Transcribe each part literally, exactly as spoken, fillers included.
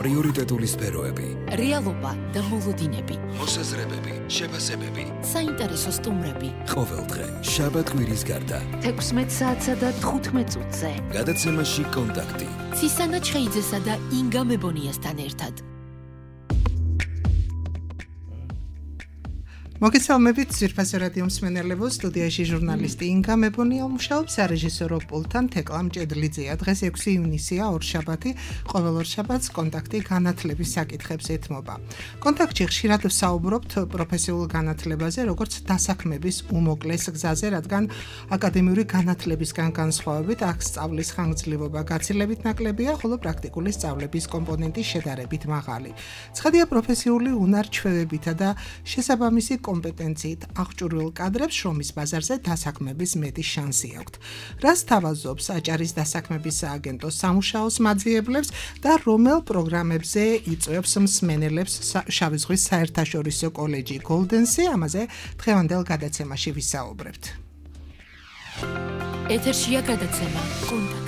პრიორიტეტული სფეროები, რეალობა და მოლოდინები, მოსაზრებები, შეფასებები, საინტერესო სტუმრები. ყოველდღე, შაბათ-კვირის გარდა, თექვსმეტ საათსა და თხუთმეტ წუთზე. გადაცემაში კონტაქტი. ცისანა ჩხეიძესა და ინგა მებონიასთან ერთად. მოგესალმებით ძვირფასო რადიო მსმენელებო, სტუდიაში ჟურნალისტი ინგა მებონია მუშაობს, სარეჟისორო პულტთან თეკლა მჭედლიძეა. დღეს ექვსი ივნისია, ორშაბათი, ყოველ ორშაბათს კონტაქტი განათლების საკითხებს ეთმობა. კონტაქტში ხშირად ვსაუბრობთ პროფესიულ განათლებაზე, როგორც დასაქმების უმოკლეს გზაზე, რადგან აკადემიური განათლებისგან განსხვავებით აქ სწავლის ხანგრძლივობა გაცილებით ნაკლებია, ხოლო პრაქტიკული სწავლების კომპონენტი შედარებით მაღალი. ცხადია პროფესიული უნარ-ჩვევებითა და შესაბამისი კომპეტენციით აღჭურვილ კადრებს შრომის ბაზარზე დასაქმების მეტი შანსი აქვთ. რას თავაზობს აჭარის დასაქმების სააგენტო სამუშაოს მაძიებლებს და რომელ პროგრამებზე იწვევს მსმენელებს შავი ზღვის საერთაშორისო კოლეჯი Golden-ს, ამაზე დღევანდელ გადაცემაში ვისაუბრებთ. ეთერშია გადაცემა კონტაქტი.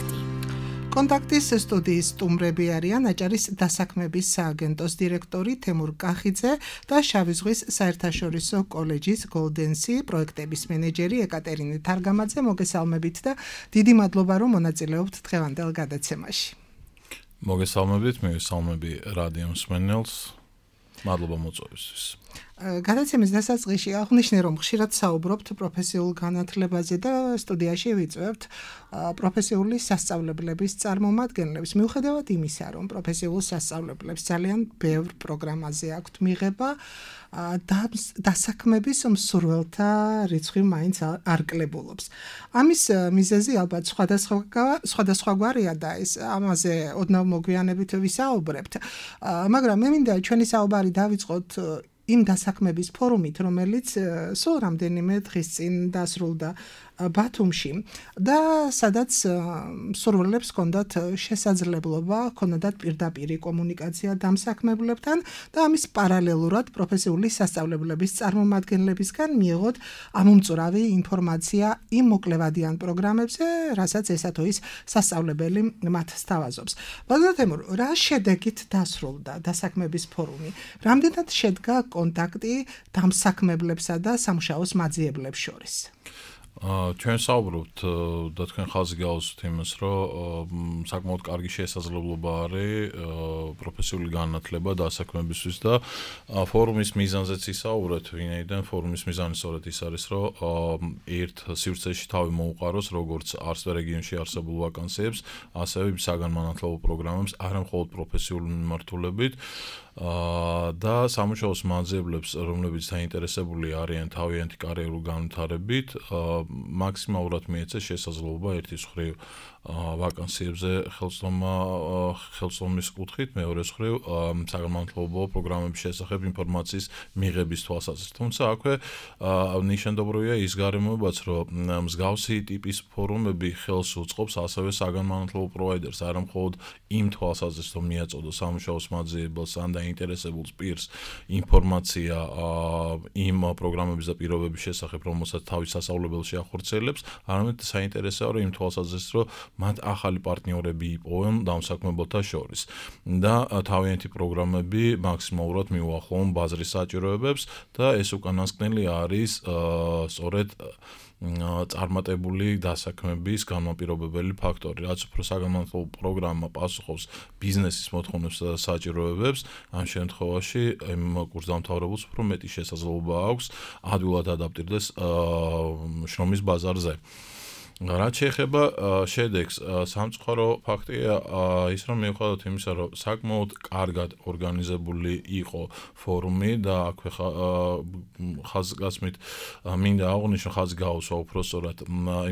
კონტაქტის სტუდიის სტუმრები არიან აჭარის დასაქმების სააგენტოს დირექტორი თემურ კახიძე და შავი ზღვის საერთაშორისო კოლეჯის Golden-ს პროექტების მენეჯერი ეკატერინე თარგამაძე. მოგესალმებით და დიდი მადლობა რომ მონაწილეობთ დღევანდელ გადაცემაში. მოგესალმებით, მივესალმები რადიო მსმენელს. მადლობა მოწვევისთვის. გადაცემის დასაწყისში აღნიშნე რომ ხშირად საუბრობთ პროფესიულ განათლებაზე და სტუდიაში ვიწვევთ პროფესიული სასწავლებლების წარმომადგენლებს. მიუხედავად იმისა, რომ პროფესიულ სასწავლებლებს ძალიან ბევრ პროგრამაზე აქვთ მიღება, დასაქმების მსურველთა რიცხვი მაინც არ კლებულობს. ამის მიზეზი ალბათ სხვადასხვაგვარია და ეს ამაზე ოდნავ მოგვიანებით ვისაუბრებთ. მაგრამ მე მინდა ჩვენი საუბარი დავიწყოთ იმ დასაქმების ფორუმით, რომელიც სულ რამდენიმე დღის წინ დასრულდა ბათუმში და სადაც მსურველებს ჰქონდათ შესაძლებლობა, ჰქონდათ პირდაპირი კომუნიკაცია დამსაქმებლებთან და ამის პარალელურად პროფესიული სასწავლებლების წარმომადგენლებისგან მიიღოთ ამომწურავი ინფორმაცია იმ მოკლევადიან პროგრამებზე, რასაც ესა თუ ის სასწავლებელი მათ სთავაზობს. ბატონო თემურ, რა შედეგით დასრულდა დასაქმების ფორუმი? რამდენად შედგა კონტაქტი დამსაქმებლებსა და სამუშაოს მაძიებლებს შორის? ჩვენ საუბრობთ და თქვენ ხაზი გაუსვით იმას, რომ საკმაოდ კარგი შესაძლებლობა არის პროფესიული განათლება დასაქმებისთვის და ფორუმის მიზანზეც ისაუბრეთ, ვინაიდან ფორუმის მიზანი სწორედ ის არის, რომ ერთ სივრცეში თავი მოუყაროს როგორც არც რეგიონში არსებულ ვაკანსიებს, ასევე საგანმანათლებლო პროგრამებს, არა მხოლოდ პროფესიული მიმართულებით და სამუშაოს მაძიებლებს, რომლებიც დაინტერესებული არიან თავიანთი კარიერული განვითარებით, მაქსიმალურად მიეცეს შესაძლებლობა ერთის მხრივ ვაკანსიებზე ხელმძღვანელობა ხელმძღვანელის კუთხით, მეორეს მხრივ საგანმანათლებლო პროგრამების შესახებ ინფორმაციის მიღების თვალსაზრისით. თუმცა აქვე ნიშანდობროვია ის გარემოებაც, რომ მსგავსი ტიპის ფორუმები ხელს უწყობს ასევე საგანმანათლებლო პროვაიდერს, არა მხოლოდ იმ თვალსაზრისით, რომ მიაწოდოს სამუშაოს მაძიებელს ან დაინტერესებულ პირს ინფორმაცია იმ პროგრამების და პირობების შესახებ, რომელსაც თავის სასწავლებელში ახორციელებს, არამედ საინტერესოა რომ იმ თვალსაზრისით, რომ მათ ახალი პარტნიორები იპოვონ დამსაქმებელთა შორის და თავიანთი პროგრამები მაქსიმალურად მიუახლოვონ ბაზრის საჭიროებებს და ეს უკანასკნელი არის სწორედ წარმატებული დასაქმების განმაპირობებელი ფაქტორი. რაც უფრო საგანმანათლებლო პროგრამა პასუხობს ბიზნესის მოთხოვნებს და საჭიროებებს, ამ შემთხვევაში იმ კურსდამთავრებულს უფრო მეტი შესაძლებლობა აქვს ადვილად ადაპტირდეს შრომის ბაზარზე. რაც შეეხება შედეგს, სამწუხარო ფაქტია ის, რომ მიუხედავად იმისა, რომ საკმაოდ კარგად ორგანიზებული იყო ფორუმი და აქვე ხაზგასმით მინდა აღვნიშნო, ხაზი გაუსვა უпростоრად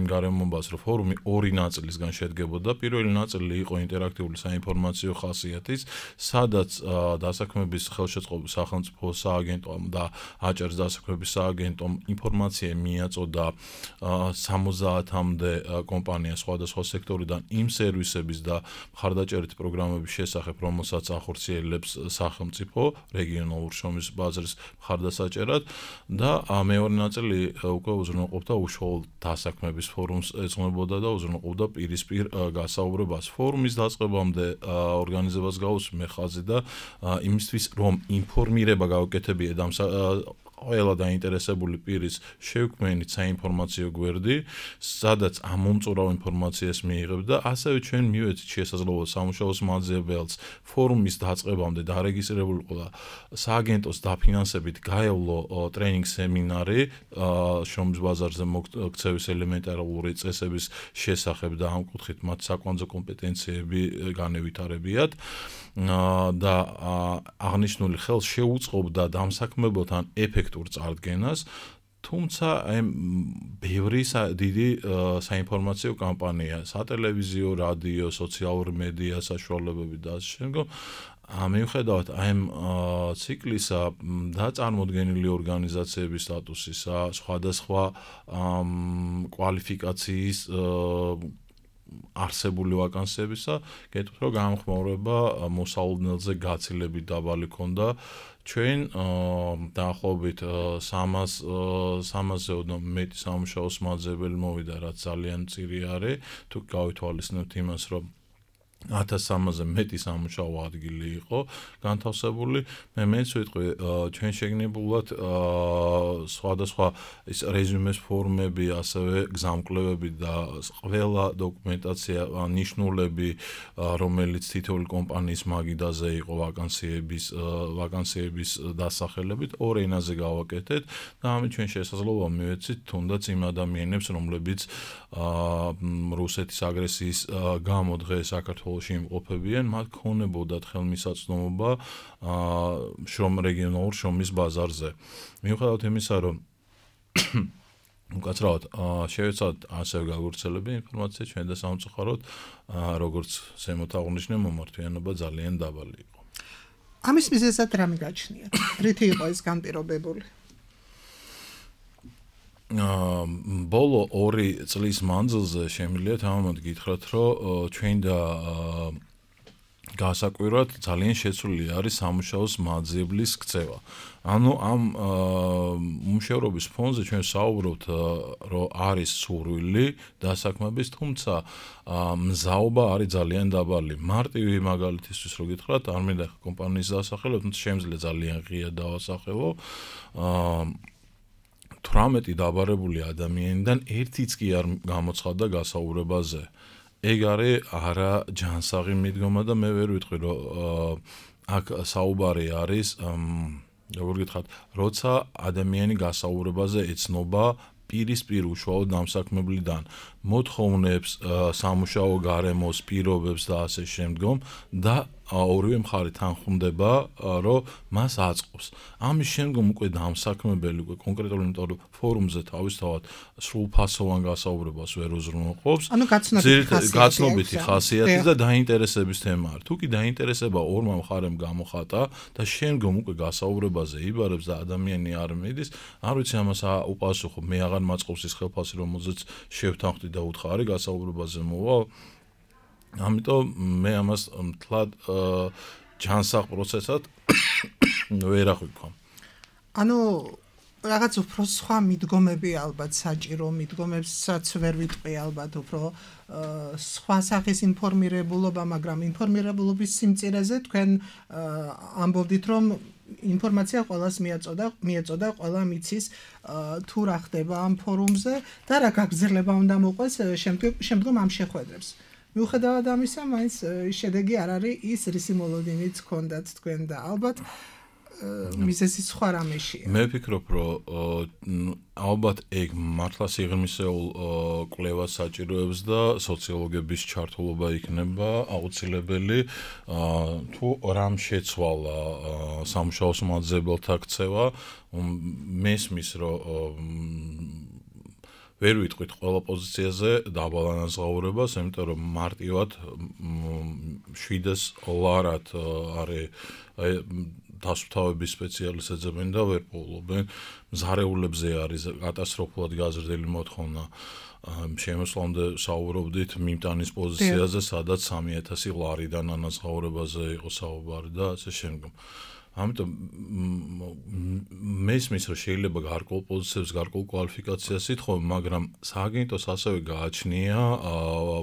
იმ გარემოებას, რომ ფორუმი ორი ნაწილისგან შედგებოდა. პირველი ნაწილი იყო ინტერაქტიული საინფორმაციო ხასიათის, სადაც დასაქმების ხელშეწყობის სახელმწიფო სააგენტომ და აჭარის დასაქმების სააგენტომ ინფორმაცია მიაწოდა სამოცდაათამდე დღემდე კომპანია სხვადასხვა სექტორიდან იმ სერვისების და მხარდაჭერით პროგრამების შესახებ, რომელსაც ახორციელებს სახელმწიფო რეგიონალურ შრომის ბაზრის მხარდასაჭერად და მეორე ნაწილი უკვე უზრუნველყოფდა უშუალო დასაქმების ფორუმს ეძღვნებოდა და უზრუნველყოფდა პირისპირ გასაუბრებას. ფორუმის დაწყებამდე ორგანიზებას გაუსვი მე ხაზი და იმისთვის რომ ინფორმირება გავუკეთებიე და ყველა დაინტერესებული პირის შევქმნით საინფორმაციო გვერდი, სადაც ამომწურავ ინფორმაციას მიიღებდა, ასევე ჩვენ მივეცით შესაძლებლობა სამუშაოს მაძიებელს ფორუმის დაწყებამდე დარეგისტრირებული ყოლა სააგენტოს დაფინანსებით გაევლო ტრენინგ სემინარი შრომის ბაზარზე მოქცევის ელემენტარული წესების შესახებ და ამ კუთხით მათ საკვანძო კომპეტენციები განევითარებიათ და აღნიშნული ხელს შეუწყობდა დამსაქმებელთან ეფექტურ წარდგენას, თუმცა აი ბევრი დიდი საინფორმაციო კამპანია, სატელევიზიო, რადიო, სოციალური მედია საშუალებები და ასე შემდგომ მიუხედავად აი ამ ციკლისა და წარმოდგენილი ორგანიზაციების სტატუსისა, სხვადასხვა კვალიფიკაციის არსებული ვაკანსიებისა, გეტყვით რომ გამხმაურება მოსალოდნელზე გაცილებით დაბალი ქონდა. ჩვენ დაახლოებით სამასზე მეტი სამუშაოს მაძიებელი მოვიდა, რაც ძალიან მწირი არის, თუ გავითვალისწინებთ იმას, რომ ათას სამასზე მეტი სამუშაო ადგილი იყო განთავსებული. მე მეც ვიტყვი, ჩვენ შეგნებულად სხვადასხვა ის რეზუმეს ფორმები, ასევე გზამკვლევები და ყველა დოკუმენტაცია, ნიშნულები, რომელიც თითოეული კომპანიის მაგიდაზე იყო ვაკანსიების ვაკანსიების დასახელებით, ორ ენაზე გავაკეთეთ და ამით ჩვენ შესაძლებლობა მივეცით თუნდაც იმ ადამიანებს, რომლებიც რუსეთის აგრესიის გამო დღეს საქართველოს იმყოფებიან, მათ ქონებოდათ ხელმისაწვდომობა შრომ რეგიონალურ შრომის ბაზარზე. მიუხედავად იმისა, რომ უკაცრავად შევეცადეთ ასევე გავავრცელებინა ინფორმაცია ჩვენ და სამწუხაროდ, როგორც ზემოთ აღნიშნე, მომართვიანობა ძალიან დაბალი იყო. ამის მიზეზად რა მიგაჩნიათ? რითი იყო ეს განპირობებული? ბოლო ორი წლის მანძილზე შემიძლია თამამად გითხრათ, რომ ჩვენ და გასაკვირად ძალიან შეცვლილი არის სამუშაოს მაძიებლის ქცევა. ანუ ამ უმუშევრობის ფონზე ჩვენ საუბრობთ, რომ არის სურვილი დასაქმების, თუმცა მზაობა არის ძალიან დაბალი. მარტივი მაგალითისთვის რო გითხრათ, არ მინდა კომპანიის დასახელოთ, თუმცა შემიძლია ძალიან ღია დავასახელო. თვრამეტი დაბარებული ადამიანიდან ერთიც კი არ გამოცხადდა გასაუბრებაზე. ეგ არის არა ჯანსაღი მიდგომა და მე ვერ ვიტყვი, რომ აქ საუბარი არის, როგორ გითხრათ, როცა ადამიანი გასაუბრებაზე ეცნობა პირისპირ უშუალოდ დამსაქმებლიდან მოთხოვნებს, სამუშაო გარემოს, პირობებს და ასე შემდგომ და ორივე მხარე თანხმდება, რომ მას აწყობს. ამის შემდგომ უკვე დამსაქმებელი უკვე კონკრეტულად, იმიტომ რომ ფორუმზე თავისთავად სრულფასოვან გასაუბრებას ვერ უზრუნველყოფს. ანუ გაცნობითი ხასიათი და დაინტერესების თემაა. თუ კი დაინტერესება ორმა მხარემ გამოხატა და შემდგომ უკვე გასაუბრებაზე იბარებს და ადამიანი არ მიდის, არ ვიცი ამას უპასუხო, მე აღარ მაწყობს ის ხელფასი, რომელზეც შევთანხმდი და უთხარი გასაუბრებაზე მოვა. ამიტომ მე ამას მთლად ჯანსაღ პროცესად ვერ აღვიქვამ. ანუ რაღაც უფრო სხვა მიდგომები ალბათ საჭირო, მიდგომებსაც ვერ ვიტყვი ალბათ უფრო სხვა სახის ინფორმირებულობა, მაგრამ ინფორმირებულობის სიმწირეზე თქვენ ამბობდით, რომ ინფორმაცია ყველას მიაწოდა, მიეწოდა, ყველა მიცის თუ რა ხდება ამ ფორუმზე და რა გაგრძელება უნდა მოყვეს შემდგომ ამ შეხვედრებს. მიუხედავად ამისა, მაინც შედეგი არ არის ის, რისი მოლოდინიც ჰქონდათ თქვენ და ალბათ მიზეზი სხვა რამეშია. მე ვფიქრობ, რომ ალბათ ეგ მართლა სიღრმისეულ კვლევას საჭიროებს და სოციოლოგების ჩართულობა იქნება აუცილებელი, თუ რამ შეცვალა სამუშაოს მაძიებელთა ქცევა, მესმის, რომ ვერ ვიტყვით ყველა პოზიციაზე დაბალანსღაურებას, იმიტომ რომ მარტივად შვიდეს ლარად არის დასუფთავების სპეციალისტები ეძებენ და ვერ პოულობენ, მზარეულებზე არის კატასტროფულად გაზრდილი მოთხოვნა. შემოსვლამდე საუბრობდით მიმტანის პოზიციაზე, სადაც სამი ათასი ლარიდან ანაზღაურებაზე იყო საუბარი და ასე შემდგომ. ამიტომ მესმის რომ შეიძლება გარკვეულ პოზიციებს, გარკვეულ კვალიფიკაციას ითხოვე, მაგრამ სააგენტოს ასევე გააჩნია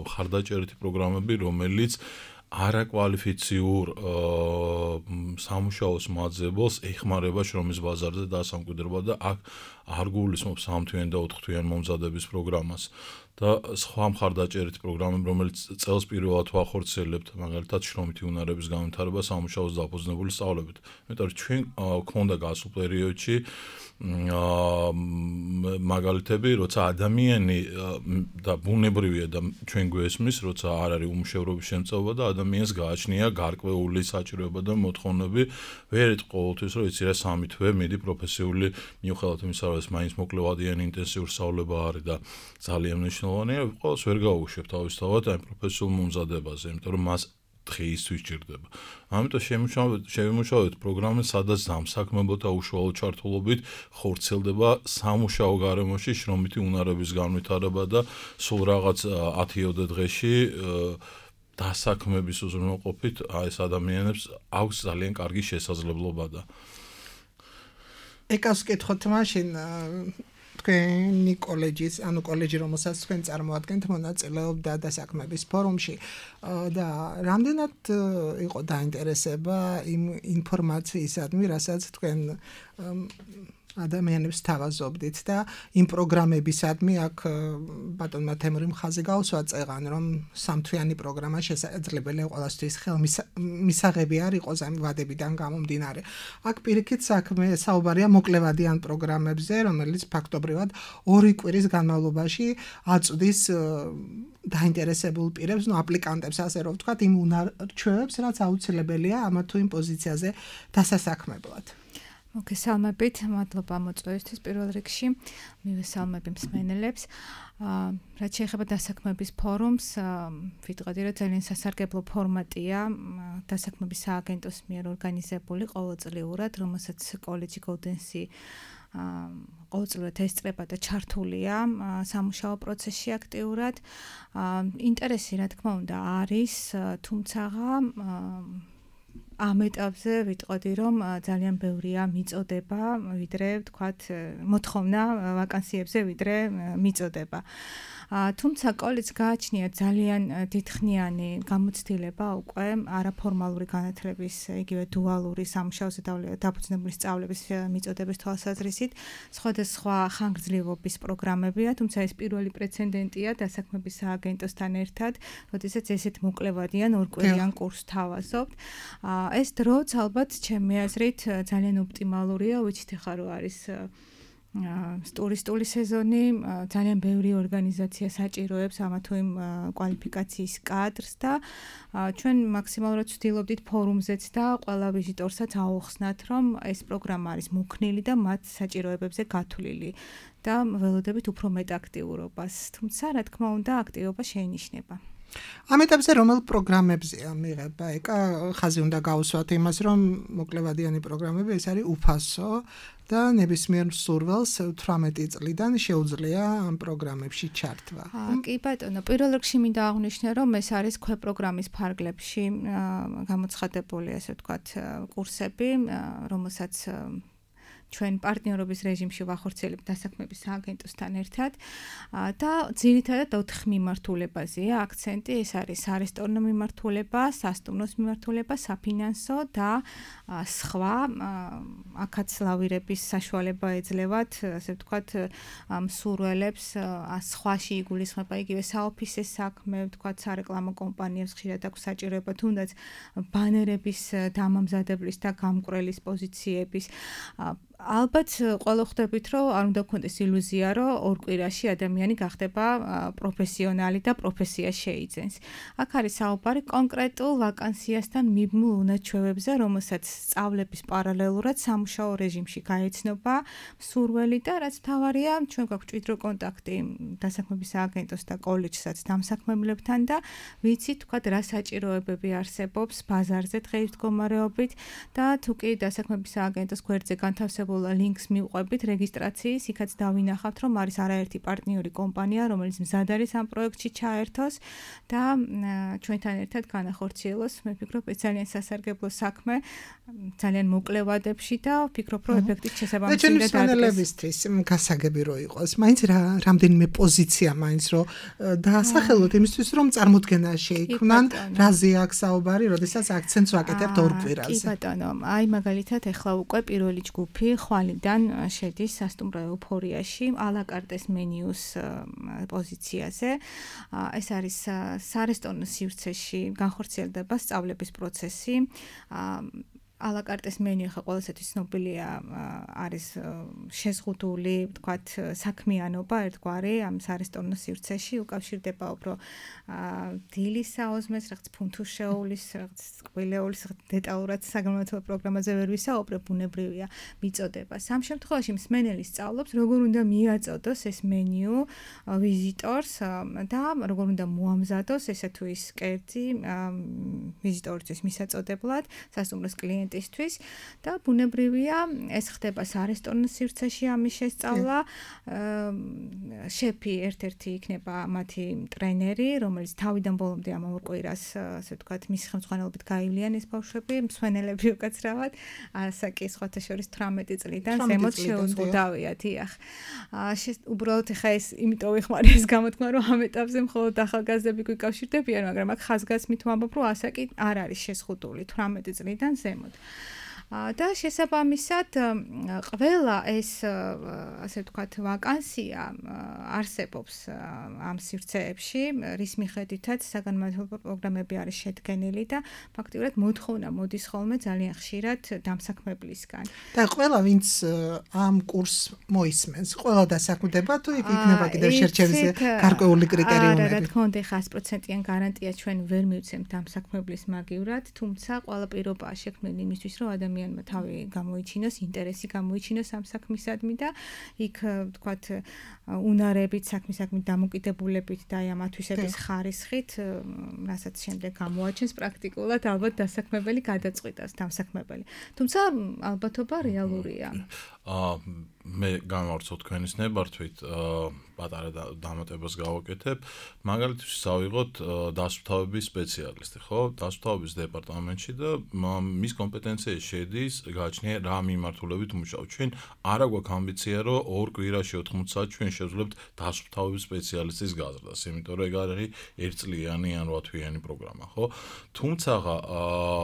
ხარდაჭერითი პროგრამები, რომელიც არაკვალიფიციურ სამუშაოს მაძებელს ეხმარება შრომის ბაზარზე დასამკვიდრება და აქ არ გულისხმობს სამთვიანი და ოთხთვიანი მომზადების პროგრამას და სხვა მხარდაჭერითი პროგრამები, რომელიც წელს პირველად ვახორციელებთ, მაგალითად შრომითი უნარების განვითარება სამუშაოს დაფუძნებული სწავლებით. იმიტომ რომ ჩვენ გვქონდა გასულ პერიოდში მაგალითები, როცა ადამიანი და ბუნებრივია და ჩვენ გვესმის, როცა არ არის უმუშევრობის შემწეობა და ადამიანს გააჩნია გარკვეული საჭიროება და მოთხოვნები, ვერ ეტყ ყოველთვის რომ იცი რა სამი თვე მიდი პროფესიული მიუხედავად იმისა, რომ ეს მაინც მოკლევადიანი ინტენსიური სწავლება არის და ძალიან მნიშვნელოვანია, ყოველს ვერ გაუშვებ თავისთავად აი პროფესიულ მომზადებაზე, იმიტომ რომ მას დღეისთვის სჭირდება. ამიტომ შევიმუშავეთ პროგრამას, სადაც დამსაქმებო და უშუალო ჩართულობით ხორციელდება სამუშაო გარემოში შრომითი უნარების განვითარება და სულ რაღაც ათიოდე დღეში დასაქმების უზრუნველყოფით ეს ადამიანებს აქვს ძალიან კარგი შესაძლებლობა და ეკავს კითხოთ მაშინ თქვენი კოლეჯის, ანუ კოლეჯი, რომელსაც თქვენ წარმოადგენთ, მონაწილეობდა დასაქმების ფორუმში და რამდენად იყო დაინტერესება იმ ინფორმაციისადმი, რასაც თქვენ ადამიანებს თავაზობდით და იმ პროგრამებისადმი აქ ბატონმა თემურიმ ხაზი გაუსვა წეღან, რომ სამთვიანი პროგრამა შესაძლებელია ყველასთვის ხელმისაღები არ იყოს ამ ვადებიდან გამომდინარე. აქ პირიქით საქმე საუბარია მოკლევადიან პროგრამებზე, რომელიც ფაქტობრივად ორი კვირის განმავლობაში აწვდის დაინტერესებულ პირებს, ნუ აპლიკანტებს, ასე რომ ვთქვათ, იმ უნარჩვევებს, რაც აუცილებელია ამა თუ იმ პოზიციაზე დასასაქმებლად. მოგესალმებით, მადლობა მოწვევისთვის პირველ რიგში. მივესალმები მსმენელებს. რაც შეეხება დასაქმების ფორუმს, ვიტყოდი, რომ ძალიან სასარგებლო ფორმატია დასაქმების სააგენტოს მიერ ორგანიზებული ყოველწლიურად, რომელსაც კოლეჯი Golden-Sea ყოველწლიურად ესწრება და ჩართულია სამუშაო პროცესში აქტიურად. ინტერესი, რა თქმა უნდა, არის, თუმცა ამ ეტაპზე ვიტყოდი, რომ ძალიან ბევრია მიწოდება, ვიდრე ვთქვათ, მოთხოვნა ვაკანსიებზე, ვიდრე მიწოდება. თუმცა კოლეჯს გააჩნია ძალიან დიდხნიანი გამოცდილება უკვე არაფორმალური განათლების, იგივე დუალური სამუშაოზე დაფუძნებული სწავლების მიწოდების თვალსაზრისით, სხვადასხვა ხანგრძლივობის პროგრამებია, თუმცა ეს პირველი პრეცედენტია დასაქმების სააგენტოსთან ერთად, როდესაც ესეთ მოკლევადიან ორკვირიან კურსს თავაზობთ. ეს დროც ალბათ ჩემი აზრით ძალიან ოპტიმალურია, ვიცით ხა რო არის ტურისტული სეზონი, ძალიან ბევრი ორგანიზაცია საჭიროებს ამა თუ იმ კვალიფიკაციის კადრს და ჩვენ მაქსიმალურად ვცდილობდით ფორუმზეც და ყველა ვიზიტორსაც აუხსნათ, რომ ეს პროგრამა არის მოქნილი და მათ საჭიროებებზე გათვლილი და ველოდებით უფრო მეტ აქტიურობას. თუმცა, რა თქმა უნდა, აქტივობა შეინიშნება. ამ ეტაპზე რომელ პროგრამებზეა მიღება? ეკა ხაზი უნდა გაუსვათ იმას, რომ მოკლევადიანი პროგრამები ეს არის უფასო და ნებისმიერ მსურველს თვრამეტი წლიდან შეუძლია ამ პროგრამებში ჩართვა. კი ბატონო, პირველ რიგში მინდა აღვნიშნო, რომ ეს არის ქვეპროგრამის ფარგლებში გამოცხადებული, ასე ვთქვათ, კურსები, რომელსაც ჩვენ პარტნიორობის რეჟიმში ვახორციელებთ დასაქმების სააგენტოსთან ერთად და ძირითადად ოთხ მიმართულებაზეა აქცენტი, ეს არის სარესტორნო მიმართულება, სასტუმროს მიმართულება, საფინანსო და სხვა აქაც ლავირების საშუალება ეძლევათ, ასე ვთქვათ, მსურველებს, სხვაში იგულისხმება იგივე საოფისე საქმე, ვთქვათ, სარეკლამო კომპანიებს ხშირად აქვს საჭიროება თუნდაც ბანერების დამამზადებლის და გამკვრელის პოზიციების. ალბათ ყველა ხვდებით, რომ არ უნდა გქონდეს ილუზია, რომ ორ კვირაში ადამიანი გახდება პროფესიონალი და პროფესია შეიძენს. აქ არის საუბარი კონკრეტულ ვაკანსიასთან მიბმულ უნარჩვევებზე, რომელსაც სწავლების პარალელურად სამუშაო რეჟიმში გაეცნობა მსურველი და რაც მთავარია, ჩვენ გვაქვს მჭიდრო კონტაქტი დასაქმების სააგენტოს და კოლეჯსაც დამსაქმებლებთან და ვიცით, თქვათ, რა საჭიროებები არსებობს ბაზარზე დღეის მდგომარეობით და თუ კი დასაქმების სააგენტოს გვერდზე განთავსებული დამახასიათებელ ლინკს მივყვებით რეგისტრაციის, იქაც დავინახავთ, რომ არის არაერთი პარტნიორი კომპანია, რომელიც მზად არის ამ პროექტში ჩაერთოს და ჩვენთან ერთად განახორციელოს, მე ვფიქრობ, ეს ძალიან სასარგებლო საქმე, ძალიან მოკლე ვადებში და ვფიქრობ, რომ ეფექტით შესაბამისი უნდა დადგეს. ჩვენებისთვის გასაგები რო იყოს, მაინც რა რამდენიმე პოზიცია მაინც რო დაასახელოთ იმისთვის, რომ წარმოდგენა შეიქმნან, რაზე აქვს საუბარი, როდესაც აქცენტს ვაკეთებთ ორ კვირაზე. კი ბატონო, აი მაგალითად ეხლა უკვე პირველი ჯგუფი ხვალიდან შედის სასტუმრო ეუფორიაში, ალაკარტეს მენიუს პოზიციაზე. ეს არის სარესტორნო სივრცეში განხორციელდება სწავლების პროცესი. ალაკარტეს მენიუ ხა ყველასათვის ცნობილია არის შეზღუდული, ვთქვათ, საქმიანობა ერთგვარი ამ სარესტორნო სივრცეში უკავშირდება უფრო დილის საოზმეს, რაღაც ფუნთუშეულის, რაღაც კვილეულის, დეტალურად საგანმანათლებლო პროგრამაზე ვერ ვისაუბრებ, ბუნებრივია მიწოდება. სამ შემთხვევაში მსმენელი სწავლობს, როგორ უნდა მიაწოდოს ეს მენიუ ვიზიტორს და როგორ უნდა მოამზადოს ესე თუ ის კერძი ვიზიტორისთვის მისაწოდებლად, სასტუმროს კლიენტ ისთვის და ბუნებრივია ეს ხდება სარესტორნო სივრცეში ამის შესწავლა. შეფი ერთ-ერთი იქნება მათი ტრენერი, რომელიც თავიდან ბოლომდე ამ ორ კვირას, ასე ვთქვათ, მის ხელმძღვანელობით გაივლიან ეს ბავშვები, მსვენელები უკაცრავად, ასაკი სხვათა შორის თვრამეტი წლიდან ზემოთ შეუზღუდავია, დიახ. უბრალოდ ხა ეს იმიტომ ვიხმარი ეს გამოთქმა, რომ ამ ეტაპზე მხოლოდ ახალგაზრდები გვიკავშირდებიან, მაგრამ აქ ხაზგასმით ვამბობ, რომ ასაკი არ არის შეზღუდული თვრამეტი წლიდან ზემოთ. და შესაბამისად ყველა ეს ასე ვთქვათ ვაკანსია არსებობს ამ სივრცეებში, რის მიხედვითაც საგანმანათლებლო პროგრამები არის შედგენილი და ფაქტიურად მოთხოვნა მოდის ხოლმე ძალიან ხშირად დამსაქმებლისგან. და ყველა ვინც ამ კურსს მოისმენს, ყველა დასაქმდება თუ იქ იქნება კიდევ შერჩევის გარკვეული კრიტერიუმები? არა, რა თქმა უნდა, ხა sto პროცენტიან გარანტია ჩვენ ვერ მივცემთ დამსაქმებლის მაგივრად, თუმცა ყველა პირობაა შექმნილი იმისთვის, რომ ადამიანი თავი გამოიჩინოს, ინტერესი გამოიჩინოს ამ საქმისადმი და იქ ვთქვათ უნარებით, საქმისადმი დამოკიდებულებით და აი ამ ათვისების ხარისხით, რასაც შემდეგ გამოაჩენს პრაქტიკულად, ალბათ დასაქმებელი გადაწყვიტავს დამსაქმებელი. თუმცა ალბათობა რეალურია. აა მე გამარჯვოთ თქვენის ნებართვით, პატარა დამატებას გავაკეთებ. მაგალითად, ავიღოთ დასუფთავების სპეციალისტი, ხო? დასუფთავების დეპარტამენტში და მის კომპეტენციაში შედის გააჩნია რა მიმართულებით მუშაობ. ჩვენ არა გვაქვს ამბიცია, რომ ორ კვირაში ოთხმოც საათი ჩვენ შევძლებთ დასუფთავების სპეციალისტის გაზრდას, იმიტომ რომ ეგ არის ერთწლიანი ან რვათვიანი პროგრამა, ხო? თუმცა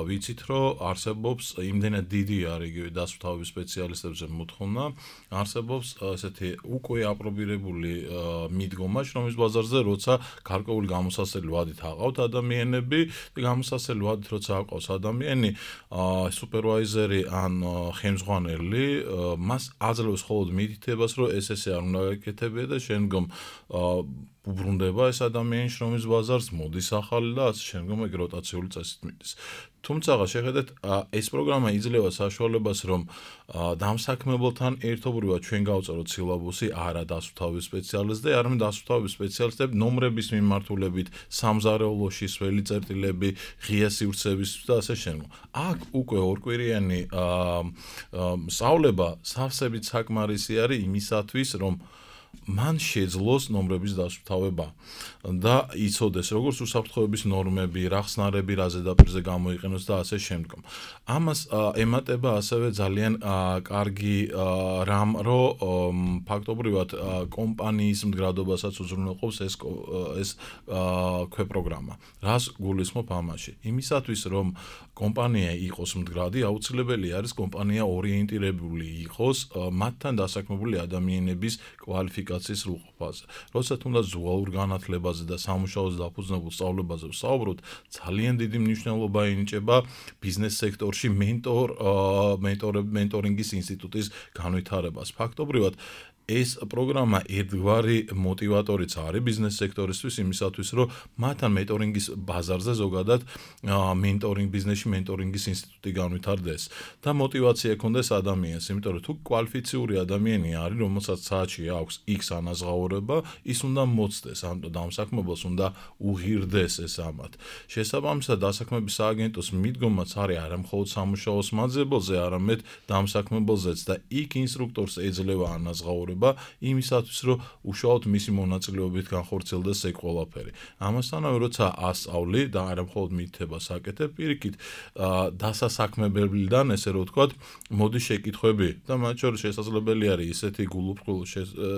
ვიცით, რომ არსებობს იმდენად დიდი არის იგივე დასუფთავების სპეციალისტებზე მოთხოვნა, არსებობს ესეთი უკვე აპრობირებული მიდგომა შრომის ბაზარზე, როცა გარკვეული გამოსასწრელი ვადით აყავთ ადამიანები და გამოსასწრელი ვადით როცა აყავს ადამიანი, სუპერვაიზერი ან ხელმძღვანელი მას აძლევს მხოლოდ მითითებას, რომ ეს ესე არ უნდა გაკეთებია და შემდგომ უბრუნდება ეს ადამიანი შრომის ბაზარს, მოდის ახალი და ასე შემდგომ ეგ როტაციული წესით მიდის. თუმცა შეხედეთ, ეს პროგრამა იძლევა საშუალებას, რომ დამსაქმებელთან ერთობრივად ჩვენ გავწეროთ სილაბუსი, არა დასუფთავების სპეციალისტზე, არამედ დასუფთავების სპეციალისტები ნომრების მიმართულებით, სამზარეულოში სველი წერტილები, ღია სივრცეების და ასე შემდგომ. აქ უკვე ორკვირიანი სწავლება სავსებით საკმარისი არის იმისათვის, რომ მან შეძლოს ნომრების დასუფთავება და იცოდეს როგორც უსაფრთხოების ნორმები, რა ხსნარები რა ზედაპირზე გამოიყენოს და ასე შემდგომ. ამას ემატება ასევე ძალიან კარგი რამ, რომ ფაქტობრივად კომპანიის მდგრადობასაც უზრუნველყოფს ეს ეს ქვეპროგრამა. რას გულისხმობ ამაში? იმისათვის, რომ კომპანია იყოს მდგრადი, აუცილებელი არის კომპანია ორიენტირებული იყოს მათთან დასაქმებული ადამიანების კვალიფიკაციის სრულყოფაზე. როცა თუნდაც ზუალურ განათლებაზე და სამუშაოზე დაფუძნებულ სწავლებაზე ვსაუბრობთ, ძალიან დიდი მნიშვნელობა ენიჭება ბიზნეს სექტორში მენტორ მენტორ მენტორინგის ინსტიტუტის განვითარებას. ფაქტობრივად ეს პროგრამა ერთგვარი მოტივატორიც არის ბიზნეს სექტორისთვის იმისათვის, რომ მათთან მენტორინგის ბაზარზე ზოგადად მენტორინგ ბიზნესში მენტორინგის ინსტიტუტი განვითარდეს და მოტივაცია ქონდეს ადამიანს, იმიტომ რომ თუ კვალიფიციური ადამიანი არის, რომელსაც საათში აქვს X ანაზღაურება, ის უნდა მოცდეს, ამ დამსაქმებელს უნდა უღირდეს ეს ამათ. შესაბამისად, დასაქმების სააგენტოს მიდგომაც არის არა მხოლოდ სამუშაოს მაძებელზე, არამედ დამსაქმებელზეც და იქ ინსტრუქტორს ეძლევა ანაზღაურება იმისათვის, რომ უშუალოდ მისი მონაწილეობით განხორციელდეს ეგ ყველაფერი. ამასთანავე, როცა ასწავლი და არა მხოლოდ მითითებას აკეთებ, პირიქით დასასაქმებელიდან, ესე რომ ვთქვათ, მოდი შეკითხვები და მათ შორის შესაძლებელი არის ისეთი გულუბრყვილ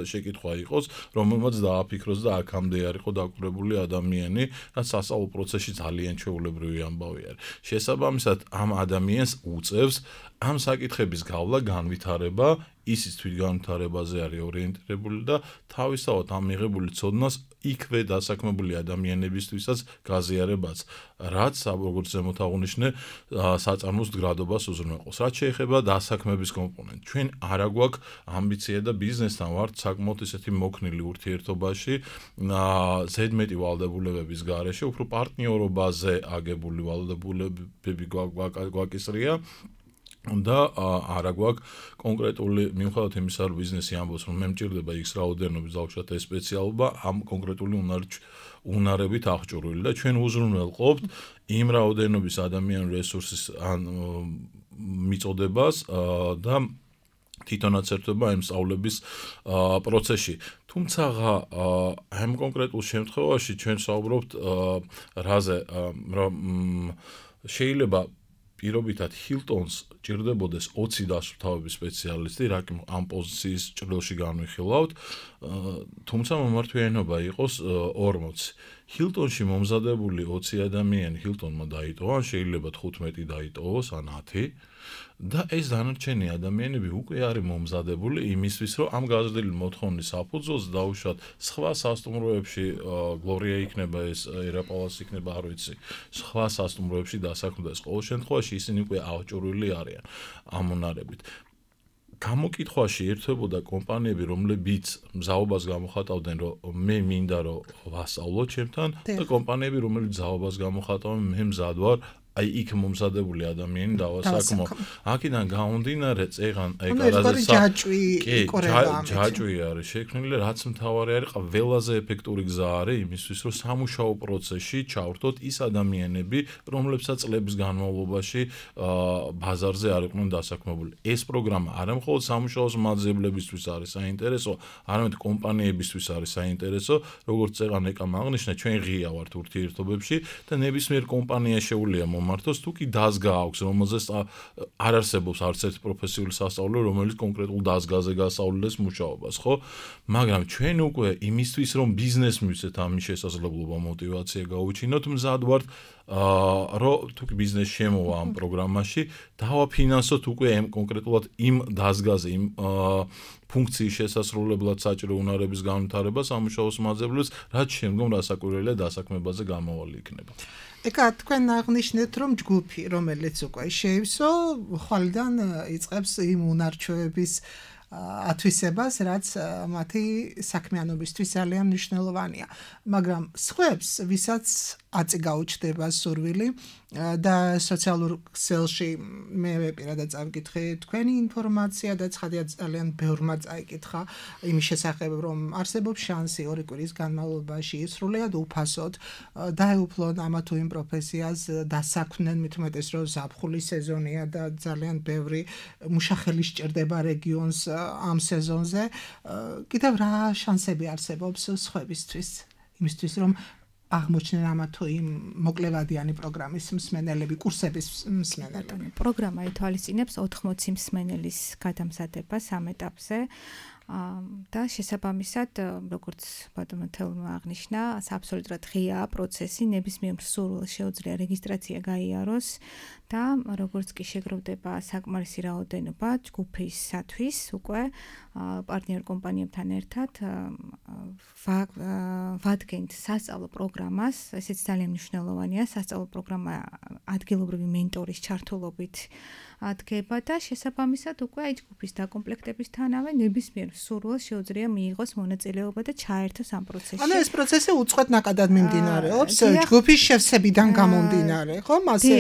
შეკითხვა იყოს, რომელმაც დააფიქროს და აქამდე არ იყო დაკვირვებული ადამიანი, რაც სასწავლო პროცესში ძალიან ჩვეულებრივი ამბავი არის. შესაბამისად, ამ ადამიანს უწევს ამ საკითხების გავლა, განვითარება, ისიც თვითგანვითარებაზე არის ორიენტირებული და თავისთავად ამ მიღებული ცოდნას იქვე დასაქმებული ადამიანებისთვისაც გაზიარებაც, რაც როგორც ზემოთ აღნიშნე, საწარმოს მდგრადობას უზრუნველყოფს. რაც შეეხება დასაქმების კომპონენტს, ჩვენ არა გვაქვს ამბიცია და ბიზნესთან ვართ საკმაოდ ისეთი მოქნილი ურთიერთობაში, ზედმეტი ვალდებულებების გარეშე, უფრო პარტნიორობაზე აგებული ვალდებულებები გვაკისრია. და არა გვაქვს კონკრეტული მიუხედავად იმისა, რომ ბიზნესი ამბობს, რომ მე მჭირდება X რაოდენობის დავუშვათ ეს სპეციალობა, ამ კონკრეტული უნარებით აღჭურვილი და ჩვენ უზრუნველყოფთ იმ რაოდენობის ადამიანური რესურსის ან მიწოდებას და თვითონაც ერთვება იმ სწავლების პროცესში. თუმცა ამ კონკრეტულ შემთხვევაში ჩვენ საუბრობთ რაზე, რომ შეიძლება პირობითად Hilton-ს ჭირდებოდეს ოცი დასუფთავების სპეციალისტი, რა კი ამ პოზიციის ჭრილში განვიხილავთ, თუმცა მომართვიანობა იყოს ორმოცი. Hilton-ში მომზადებული ოცი ადამიანი Hilton-მა დაიტოვა, ან შეიძლება თხუთმეტი დაიტოვოს, ან ათი. და ეს დანარჩენი ადამიანები უკვე არის მომზადებული იმისთვის, რომ ამ გაზრდილი მოთხოვნის საფუძველზე დაუშვათ სხვა სასტუმროებში, გლორია იქნება ეს, ერაპალას იქნება, არ ვიცი, სხვა სასტუმროებში დასაქმდეს. ყოველ შემთხვევაში ისინი უკვე აღჭურვილი არიან ამ უნარებით. გამოკითხვაში ერთვებოდა კომპანიები, რომლებიც მზაობას გამოხატავდნენ, რომ მე მინდა რომ ვასწავლო ჩემთან და კომპანიები, რომლებიც მზაობას გამოხატავენ, მე მზად ვარ აი იქ მომზადებული ადამიანი დავასაქმო. აქედან გამომდინარე, წეღან ეგ არაზე ჯაჭვი იყორება ამით. ჯაჭვი არის შექმნილი, რაც მთავარი არის, ყველაზე ეფექტური გზა არის იმისთვის, რომ სამუშაო პროცესში ჩავრთოთ ის ადამიანები, რომლებსაც წლების განმავლობაში ბაზარზე არ იყვნენ დასაქმებული. ეს პროგრამა არა მხოლოდ სამუშაოს მაძებლებისთვის არის საინტერესო, არამედ კომპანიებისთვის არის საინტერესო, როგორც წეღან ეკამ აღნიშნა, ჩვენ ღია ვართ ურთიერთობებში და ნებისმიერ კომპანია შეუძლია მართოს თუ კი დაზგა აქვს, რომელზეც არ არსებობს არც ერთი პროფესიული სასწავლებელი, რომელიც კონკრეტულ დაზგაზე გასავლდეს მუშაობას, ხო? მაგრამ ჩვენ უკვე იმისთვის, რომ ბიზნეს მივცეთ ამის შესაძლებლობა, მოტივაცია გაუჩინოთ, მზად ვართ, რომ თუ კი ბიზნეს შემოვა ამ პროგრამაში, დავაფინანსოთ უკვე ამ კონკრეტულად იმ დაზგაზე, იმ ფუნქციის შესასრულებლად საჭირო უნარების განვითარება სამუშაოს მაძებლებს, რაც შემდგომ რასაკვირველია დასაქმებაზე გამოვალი იქნება. ეკა თქვენ აღნიშნეთ, რომ ჯგუფი, რომელიც უკვე შეივსო, ხვალიდან იწყებს იმ უნარჩვევების ათვისებას, რაც მათი საქმიანობისთვის ძალიან მნიშვნელოვანია. მაგრამ სხვებს, ვისაც აწი გაუჩნდება სურვილი და სოციალურ ქსელში მე პირადად წავიკითხე თქვენი ინფორმაცია და ცხადია ძალიან ბევრმა წაიკითხა იმის შესახებ, რომ არსებობს შანსი ორი კვირის განმავლობაში სრულიად უფასოდ დაეუფლონ ამა თუ იმ პროფესიას, დასაქმნენ, მით უმეტეს რომ ზაფხულის სეზონია და ძალიან ბევრი მუშახელი სჭირდება რეგიონს ამ სეზონზე. კიდევ რა შანსები არსებობს სხვებისთვის, იმისთვის რომ აღმოჩნდნენ ამა თუ იმ მოკლევადიანი პროგრამის მსმენელები, კურსების მსმენელები. პროგრამა ითვალისწინებს ოთხმოცი მსმენელის გადამზადებას ამ ეტაპზე. და შესაბამისად, როგორც ბატონო თელმა აღნიშნა, აბსოლუტურად ღიაა პროცესი, ნებისმიერ მსურველს შეუძლია რეგისტრაცია გაიაროს და როგორც კი შეგროვდება საკმარისი რაოდენობა ჯგუფისათვის უკვე პარტნიორ კომპანიებთან ერთად ვადგენთ სასწავლო პროგრამას, ესეც ძალიან მნიშვნელოვანია, სასწავლო პროგრამა ადგილობრივი მენტორის ჩართულობით დგება და შესაბამისად უკვე აი ჯგუფის დაკომპლექტებისთანავე ნებისმიერ სურვილს შეუძლია მიიღოს მონაწილეობა და ჩაერთოს ამ პროცესში. ანუ ეს პროცესი უწყვეტ ნაკადად მიმდინარეობს ჯგუფის შევსებიდან გამომდინარე, ხო? მასე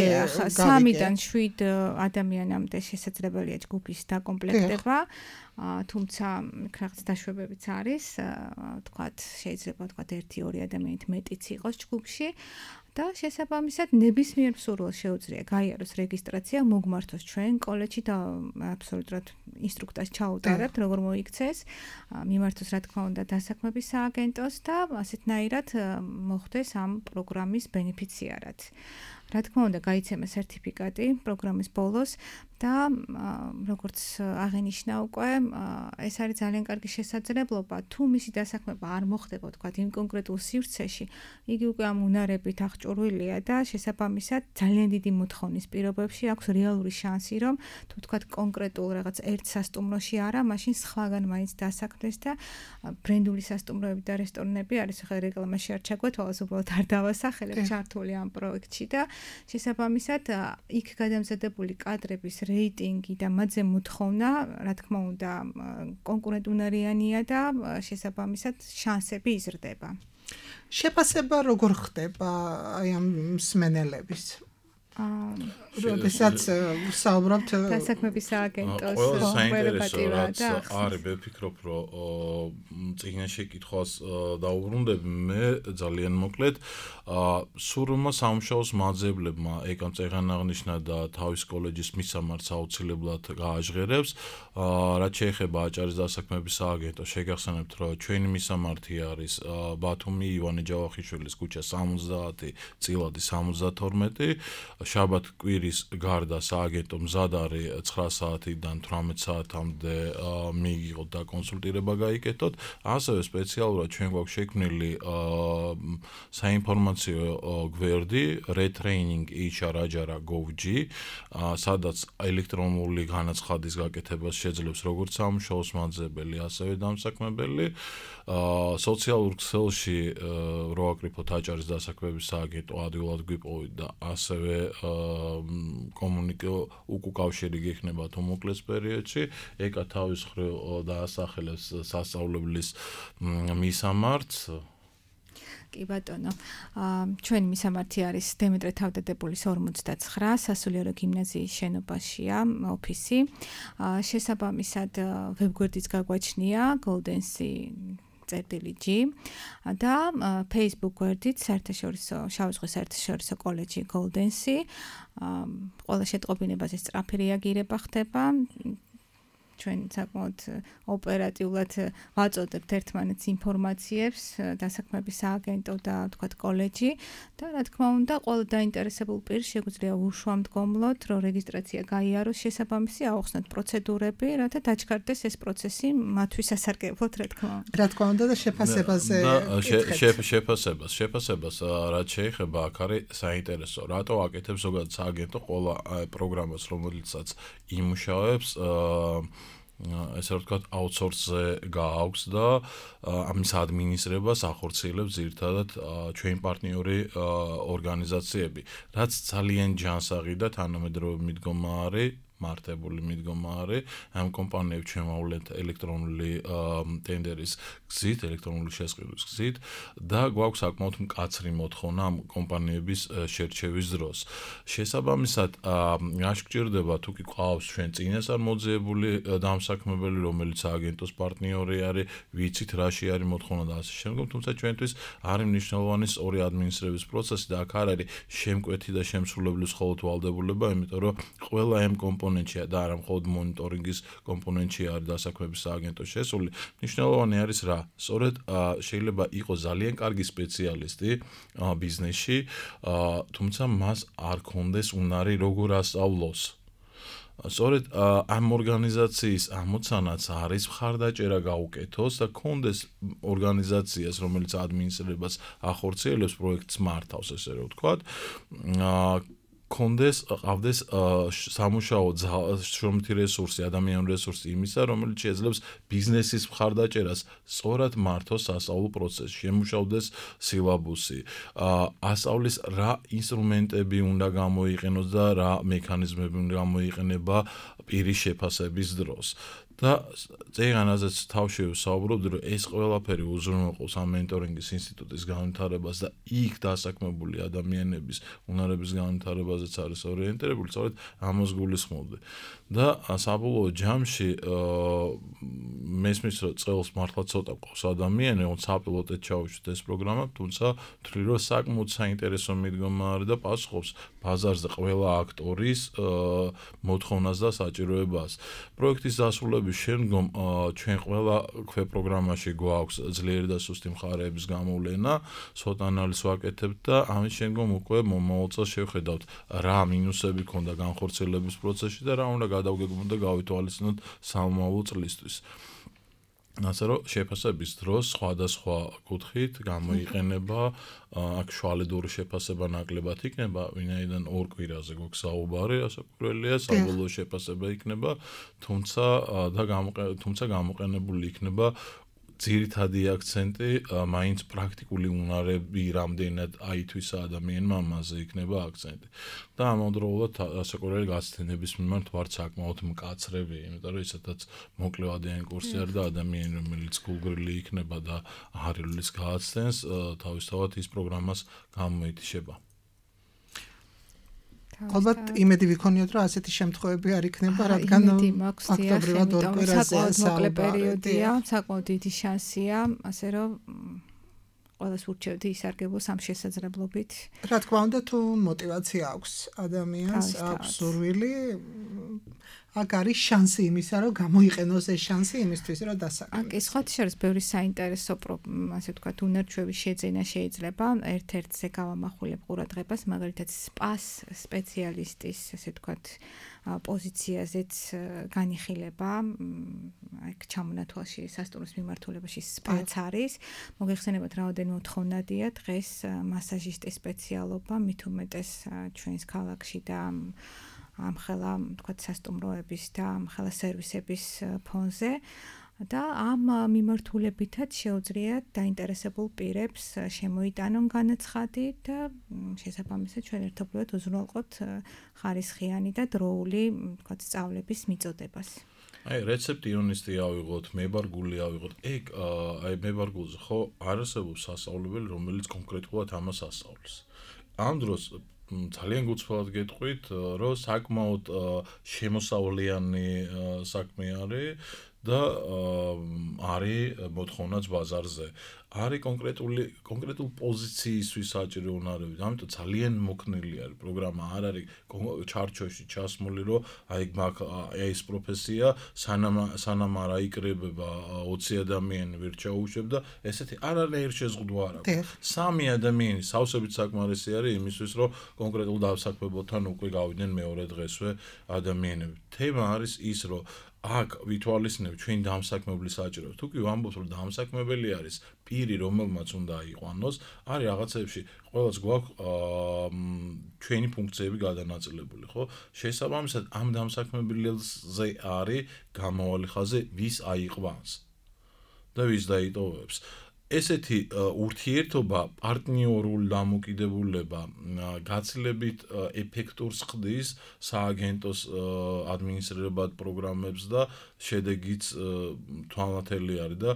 სამიდან შვიდ ადამიანამდე შესაძლებელია ჯგუფის დაკომპლექტება. თუმცა რაღაც დაშვებებიც არის, თქვათ, შეიძლება თქვათ ერთი ორი ადამიანით მეტიც იყოს ჯგუფში და შესაბამისად ნებისმიერ სურვილს შეუძლია გაიაროს რეგისტრაცია, მოგმართოს ჩვენ კოლეჯში და აბსოლუტურად ინსტრუქტორს ჩაუტარებთ, როგორ მოიქცეს, მიმართოს რა თქმა უნდა დასაქმების სააგენტოს და ასეთნაირად მოხდეს ამ პროგრამის ბენეფიციარად. რა თქმა უნდა, გაიცემა სერტიფიკატი პროგრამის ბოლოს და როგორც აღინიშნა უკვე, ეს არის ძალიან კარგი შესაძლებლობა, თუ მისი დასაქმება არ მოხდება, თქვათ, იმ კონკრეტულ სივრცეში, იგი უკვე ამ უნარებით აღჭურვილია და შესაბამისად ძალიან დიდი მოთხოვნის პირობებში აქვს რეალური შანსი, რომ თუ თქვათ კონკრეტულ რაღაც ერთ სასტუმროში არა, მაშინ სხვაგან მაინც დასაქმდეს და ბრენდული სასტუმროები და რესტორნები არის, ახლა რეკლამაში არ ჩაგვეთვალოს, უბრალოდ არ დავასახელებ, ჩართული ამ პროექტში და შესაბამისად იქ გადამზადებული კადრების რეიტინგი და მათზე მოთხოვნა, რა თქმა უნდა, კონკურენტუნარიანია და შესაბამისად შანსები იზრდება. შეფასება როგორ ხდება აი ამ მსმენელების? როდესაც საუბრობთ დასაქმების სააგენტოს ყველაფერს არის, მე ვფიქრობ, რომ წიგნში კითხვას დაუბრუნდები, მე ძალიან მოკლედ სურვილმა სამუშაოს მაძებლებმა ეკამ წეღან აღნიშნა და თავის კოლეჯის მისამართს აუცილებლად გააჟღერებს, რაც შეეხება აჭარის დასაქმების სააგენტოს, შეგახსენებთ, რომ ჩვენი მისამართი არის ბათუმი ივანე ჯავახიშვილის ქუჩა სამოცდაათი წილადი სამოცდათორმეტი, შაბათ კვირის გარდა სააგენტო მზად არის ცხრა საათიდან თვრამეტ საათამდე მიიღოთ და კონსულტირება გაიკეთოთ. ასევე სპეციალურად ჩვენ გვაქვს შექმნილი საინფორმაციო გვერდი retraining h r ajara dot gov dot g, სადაც ელექტრონული განაცხადის გაკეთებას შეძლებს როგორც სამუშაოს მაძებელი, ასევე დამსაქმებელი. სოციალურ ქსელში რო აკრიფოთ აჭარის დასაქმების სააგენტო ადვილად გვიპოვით და ასევე კომუნიკო უკავშირი გექნება თუ მოკლეს პერიოდში, ეკა თავის მხრივ დაასახელებს სასწავლებლის მისამართს. კი ბატონო, ჩვენი მისამართი არის დემეტრე თავდადებულის ორმოცდაცხრა, სასულიერო გიმნაზიის შენობაშია ოფისი. შესაბამისად ვებგვერდიც გაგვაჩნია goldency წერტილი G და Facebook გვერდით საერთაშორისო შავი ზღვის საერთაშორისო კოლეჯი goldency. ყველა შეტყობინებაზე სწრაფი რეაგირება ხდება. ჩვენ საკმაოდ ოპერატიულად ვაწოდებთ ერთმანეთს ინფორმაციებს, დასაქმების სააგენტო და თქვათ კოლეჯი და რა თქმა უნდა, ყველა დაინტერესებულ პირს შეგვიძლია უშუალოდ, რომ რეგისტრაცია გაიაროს, შესაბამისი აუხსნათ პროცედურები, რათა დაჩქარდეს ეს პროცესი მათთვის სასარგებლოდ, რა თქმა უნდა. რა თქმა უნდა და შეფასებაზე შეფასებას, შეფასებას რაც შეეხება, აქ არის საინტერესო, რატო აკეთებს ზოგადად სააგენტო ყველა პროგრამას, რომელიცაც იმუშავებს ესე რომ ვთქვათ, აუთსორსზე გააქვს და ამის ადმინისტრებას ახორციელებს ძირითადად ჩვენი პარტნიორი ორგანიზაციები, რაც ძალიან ჯანსაღი და თანამედროვე მიდგომა არის, მართებული მიდგომა არის. ამ კომპანიებს ჩვენ ვავლენთ ელექტრონული ტენდერის გზით, ელექტრონული შესყიდვის გზით და გვაქვს საკმაოდ მკაცრი მოთხოვნა ამ კომპანიების შერჩევის დროს. შესაბამისად, რაში გჭირდება, თუ კი ყავს ჩვენ წინასწარ მოძიებული დამსაქმებელი, რომელიც სააგენტოს პარტნიორი არის, ვიცით რაში არის მოთხოვნა და ასე შემდგომ, თუმცა ჩვენთვის არის მნიშვნელოვანი სწორი ადმინისტრების პროცესი და აქ არ არის შემკვეთი და შემსრულებლის მხოლოდ ვალდებულება, იმიტომ რომ ყველა ამ კომპონენტია და არა მხოლოდ მონიტორინგის კომპონენტი არის დასაქმების სააგენტოს შესული. მნიშვნელოვანი არის რა? სწორედ შეიძლება იყოს ძალიან კარგი სპეციალისტი ბიზნესში, თუმცა მას არ ქონდეს უნარი როგორ ასწავლოს. სწორედ ამ ორგანიზაციის ამოცანაც არის მხარდაჭერა გაუკეთოს და ქონდეს ორგანიზაციას, რომელიც ადმინისტრებას ახორციელებს, პროექტს მართავს, ესე რომ ვთქვათ, კონდეს ყავდეს სამუშაო შრომითი რესურსი, ადამიანური რესურსი იმისა, რომელიც შეძლებს ბიზნესის მხარდაჭერას სწორად მართოს სასწავლო პროცესში, შემუშავდეს სილაბუსი, ასწავლის რა ინსტრუმენტები უნდა გამოიყენოს და რა მექანიზმები უნდა გამოიყენება პირის შეფასების დროს. და წეგანაზეც თავში ვსაუბრობდი, რომ ეს ყველაფერი უზრუნველყოფს ამ მენტორინგის ინსტიტუტის განვითარებას და იქ დასაქმებული ადამიანების უნარების განვითარებაზეც არის ორიენტირებული, სწორედ ამას გულისხმობდი. და საბოლოო ჯამში მესმის რომ წელს მართლა ცოტა ყავს ადამიანი, რომ საპილოტეთ ჩავუშვით ეს პროგრამა, თუმცა ვთვლი რომ საკმაოდ საინტერესო მიდგომა არის და პასუხობს ბაზარზე ყველა აქტორის მოთხოვნას და საჭიროებას. პროექტის დასრულების შემდგომ ჩვენ ყველა ქვეპროგრამაში გვაქვს ძლიერი და სუსტი მხარეების გამოვლენა, SWOT ანალიზს ვაკეთებთ და ამის შემდგომ უკვე მომავალ წელს შევხედავთ რა მინუსები ქონდა განხორციელების პროცესში და რა უნდა გადავგეგმოთ და გავითვალისწინოთ სამომავლო წლისთვის. ასე რომ შეფასების დროს სხვადასხვა კუთხით გამოიყენება აქ შუალედური შეფასება ნაკლებად იქნება, ვინაიდან ორ კვირაზე გვაქვს საუბარი, ასაკურველია, საბოლოო შეფასება იქნება, თუმცა და თუმცა გამოყენებული იქნება ძირითადი აქცენტი მაინც პრაქტიკული უნარები რამდენად აითვისა ადამიანმა ამაზე იქნება აქცენტი. და ამავდროულად ასაკურველი გაცდენების მიმართ ვარ საკმაოდ მკაცრები, იმიტომ რომ ისედაც მოკლევადიანი კურსი არის და ადამიანი რომელიც გულგრილი იქნება და აღარილის გააცდენს, თავისთავად ის პროგრამას გამოეთიშება. ალბათ იმედი ვიქონიოთ, რომ ასეთი შემთხვევები არ იქნება, რადგან ფაქტობრივად ორ კვირაზე საკმაოდ პერიოდია, საკმაოდ დიდი შანსია, ასე რომ ყველას ურჩევდი ისარგებლოს ამ შესაძლებლობით. რა თქმა უნდა, თუ мотиваცია აქვს ადამიანს, აქვს სურვილი, აქ არის შანსი იმისა, რომ გამოიყენოს ეს შანსი იმისთვის, რომ დასაქმოს. აქ სხვა შორის ბევრი საინტერესო, ასე ვთქვათ, უნარჩვევი შეძენა შეიძლება. ერთ-ერთზე გავამახვილებ ყურადღებას, მაგალითად, სპას სპეციალისტის, ასე ვთქვათ, პოზიციაზეც განიხილება. აქ ჩამონათვალში სასტუმროს მიმართულებაში სპაც არის. მოგეხსენებათ, რაოდენიმე მოთხოვნადია დღეს მასაჟისტის სპეციალობა, მით უმეტეს ჩვენს ქალაქში და ამხელა, თქვათ, სასტუმროების და ამხელა სერვისების ფონზე და ამ მიმართულებითაც შეუძლიათ დაინტერესებულ პირებს შემოიტანონ განაცხადი და შესაბამისად ჩვენ ერთობლივად უზრუნველყოფთ ხარისხიანი და დროული, თქვათ, სწავლების მიწოდებას. აი, რეცეპტი იონისტი ავიღოთ, მებარგული ავიღოთ. ეგ აი მებარგულზე ხო არ არსებობს სასწავლებელი, რომელიც კონკრეტულად ამას ასწავლის. ამ დროს ძალიან გუცხელად გეტყვით, რომ საკმაოდ შემოსავლიანი საქმე არის და არის მოთხოვნაც ბაზარზე. არის კონკრეტული კონკრეტულ პოზიციისთვის საჭირო უნარები. ამიტომ ძალიან მოქნილი არის პროგრამა, არ არის ჩარჩოში ჩასმული, რომ აი მაგ ეს პროფესია სანამ სანამ არ აიკრებება ოცი ადამიანი ვერ ჩაუშვებ და ესეთი არანაირ შეზღუდვა არ აქვს. სამი ადამიანი სავსებით საკმარისი არის იმისთვის, რომ კონკრეტულ დასაქმებელთან უკვე გავიდნენ მეორე დღესვე ადამიანები. თემა არის ის, რომ აქ ვითვალისწინებ ჩვენ დამსაქმებლის საჭიროებას. თუ კი ვამბობთ, რომ დამსაქმებელი არის პირი, რომელმაც უნდა აიყვანოს, არის რაღაცებში ყველას გვაქვს ჩვენი ფუნქციები გადანაწილებული, ხო? შესაბამისად, ამ დამსაქმებელზე არის გამავალი ხაზი, ვის აიყვანს და ვის დაიტოვებს. ესეთი ურთიერთობა, პარტნიორული დამოკიდებულება გაცილებით ეფექტურს ხდის სააგენტოს ადმინისტრირებად პროგრამებს და შედეგიც თვალნათელი არის და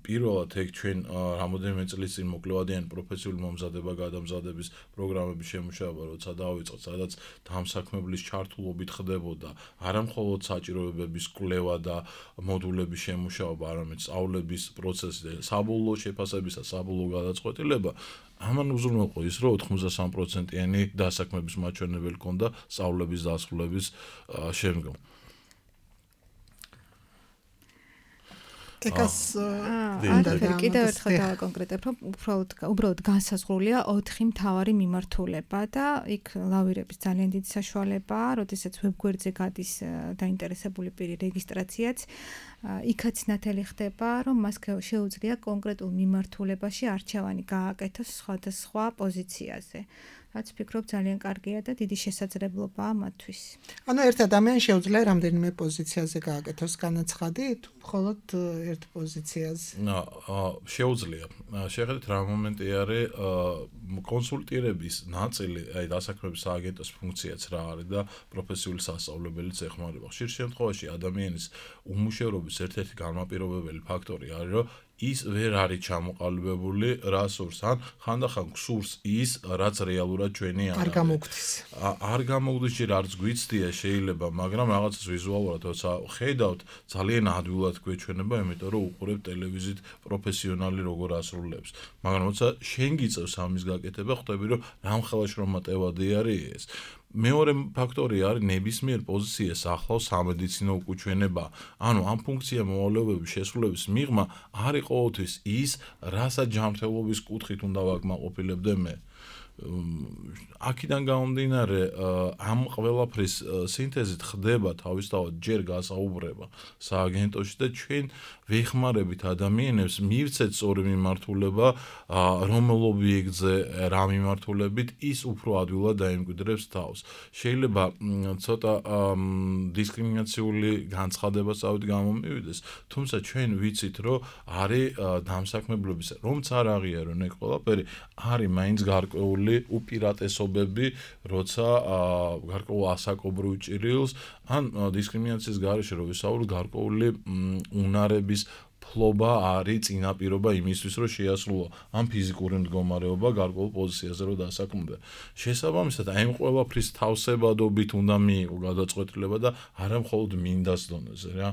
პირველად ეგ ჩვენ რამოდენიმე წლის წინ მოკლევადიანი პროფესიული მომზადება გადამზადების პროგრამების შემუშავება როცა დავიწყოთ, სადაც დამსაქმებლის ჩართულობით ხდებოდა არა მხოლოდ საჭიროებების კვლევა და მოდულების შემუშავება, არამედ სწავლების პროცესი და საბოლოო შეფასებისა საბოლოო გადაწყვეტილება. ამან უზრუნველყო ის, რომ ოთხმოცდასამი პროცენტიანი დასაქმების მაჩვენებელი ჰქონდა სწავლების დასრულების შემდგომ. ეკას კიდევ ერთხელ დავაკონკრეტებ, რომ უბრალოდ უბრალოდ განსაზღვრულია ოთხი მთავარი მიმართულება და იქ ლავირების ძალიან დიდი საშუალებაა, როდესაც ვებგვერდზე გადის დაინტერესებული პირი რეგისტრაციაც, იქაც ნათელი ხდება, რომ მას შეუძლია კონკრეტულ მიმართულებაში არჩევანი გააკეთოს სხვადასხვა პოზიციაზე. რაც ვფიქრობ ძალიან კარგია და დიდი შესაძლებლობაა მათთვის. ანუ ერთ ადამიანს შეუძლია რამდენიმე პოზიციაზე გააკეთოს განაცხადი, თუ მხოლოდ ერთ პოზიციაზე? შეუძლია. შეხედეთ რა მომენტი არის კონსულტირების ნაწილი, აი დასაქმების სააგენტოს ფუნქციაც რა არის და პროფესიული სასწავლებელიც ეხმარება. ხშირ შემთხვევაში ადამიანის უმუშევრობის ერთ-ერთი განმაპირობებელი ფაქტორი არის, რომ ის ვერ არის ჩამოყალიბებული რა სურს, ან ხანდახან გსურს ის, რაც რეალურად ჩვენი არ არის. არ გამოგდის. არ გამოგდის, ჯერ არც გვიცდია შეიძლება, მაგრამ რაღაცას ვიზუალურად როცა ხედავთ, ძალიან ადვილად გვეჩვენება, იმიტომ რომ უყურებთ ტელევიზიით პროფესიონალი როგორ ასრულებს. მაგრამ როცა შენ გიწევს ამის გაკეთება, ხვდები რომ რამხელა შრომატევადი არის ეს. მეორე ფაქტორი არის ნებისმიერ პოზიციას ახლავს სამედიცინო უკუჩვენება. ანუ ამ ფუნქცია მოვალეობების შესრულების მიღმა არის ყოველთვის ის, რასაც ჯანმრთელობის კუთხით უნდა ვაკმაყოფილებდე მე. აქედან გამომდინარე, ამ ყველაფრის სინთეზით ხდება თავისთავად ჯერ გასაუბრება სააგენტოში და ჩვენ ვეხმარებით ადამიანებს მივცეთ სწორი მიმართულება, რომელ ობიექტზე რა მიმართულებით ის უფრო ადვილად დაემკვიდრებს თავს. შეიძლება ცოტა დისკრიმინაციული განცხადება სწავით გამომივიდეს, თუმცა ჩვენ ვიცით, რომ არის დამსაქმებლობის, რომც არ აღიარონ ეგ ყველაფერი, არის მაინც გარკვეული უპირატესობები, როცა გარკვეულ ასაკობრივ ჭრილს ან დისკრიმინაციის გარეშე რო ვისაუბროთ, გარკვეული უნარების ფლობა არის წინაპირობა იმისთვის, რომ შეასრულო ამ ფიზიკური მდგომარეობა გარკვეულ პოზიციაზე რო დასაქმდა. შესაბამისად, აი ამ ყველაფრის თავსებადობით უნდა მიიღო გადაწყვეტილება და არა მხოლოდ მინდას დონეზე რა.